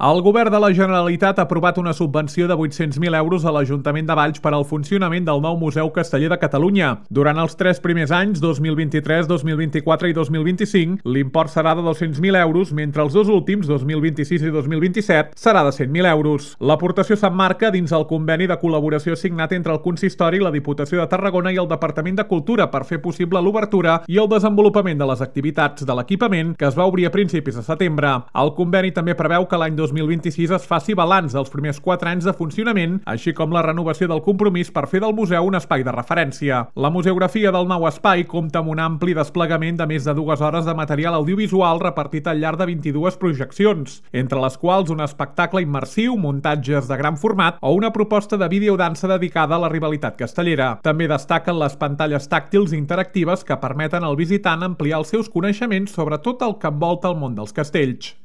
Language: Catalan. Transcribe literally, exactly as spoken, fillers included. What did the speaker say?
El Govern de la Generalitat ha aprovat una subvenció de vuit-cents mil euros a l'Ajuntament de Valls per al funcionament del nou Museu Casteller de Catalunya. Durant els tres primers anys, dos mil vint-i-tres, dos mil vint-i-quatre i dos mil vint-i-cinc, l'import serà de dos-cents mil euros, mentre els dos últims, dos mil vint-i-sis i dos mil vint-i-set, serà de cent mil euros. L'aportació s'emmarca dins el conveni de col·laboració signat entre el Consistori, la Diputació de Tarragona i el Departament de Cultura per fer possible l'obertura i el desenvolupament de les activitats de l'equipament que es va obrir a principis de setembre. El conveni també preveu que l'any dos mil vint-i-sis es faci balanç dels primers quatre anys de funcionament, així com la renovació del compromís per fer del museu un espai de referència. La museografia del nou espai compta amb un ampli desplegament de més de dues hores de material audiovisual repartit al llarg de vint-i-dues projeccions, entre les quals un espectacle immersiu, muntatges de gran format o una proposta de videodansa dedicada a la rivalitat castellera. També destaquen les pantalles tàctils interactives que permeten al visitant ampliar els seus coneixements sobre tot el que envolta el món dels castells.